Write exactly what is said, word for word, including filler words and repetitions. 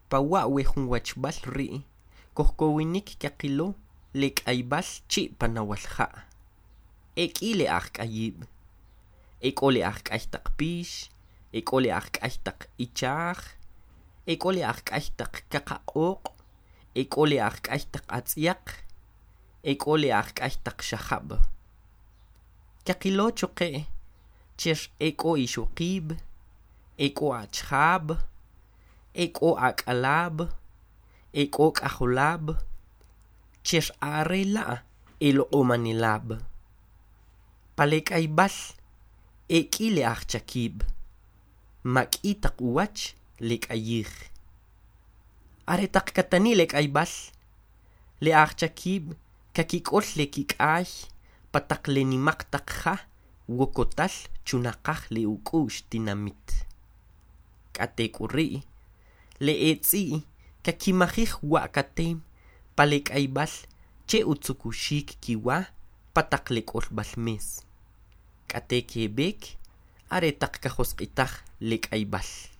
Pa wa' we jun wachb'al rii' kojkowinik kaqilo le k'ayb'al chi' pan Nawal Ja'. E k'i le ajk'ayiib', e k'o le ajk'ay taq pix, e k'o le ajk'ay taq ichaaj, e k'o le ajk'ay taq qaqa q'ooq', e k'o le ajk'ay taq atz'yaq, e k'o le ajk'ay taq xajab'. Qaqilo choqe' cher e k'o ixoqiib', e k'o achijab', e k'o ak'alaab', e k'o k'ajolaab' cher are la' e loq'omanelaab'. Pa le k'ayb'al e k'i le ajchakiib', ma k'i taq uwach le k'ayiij. Are taq katani' le k'ayb'al, le ajchakiib' kakik'ol le kik'ay pi taq le nemaq taq ja wokotal chunaqaj le uk'u'x tinamit. K'a te k'u ri' le e tz'i' kakimajij wa'kateem pa le k'ayb'al che utzukuxik kiwa pa taq le k'olb'al me's, k'ate keb'eek are taq kajosq'itaj le k'ayb'al.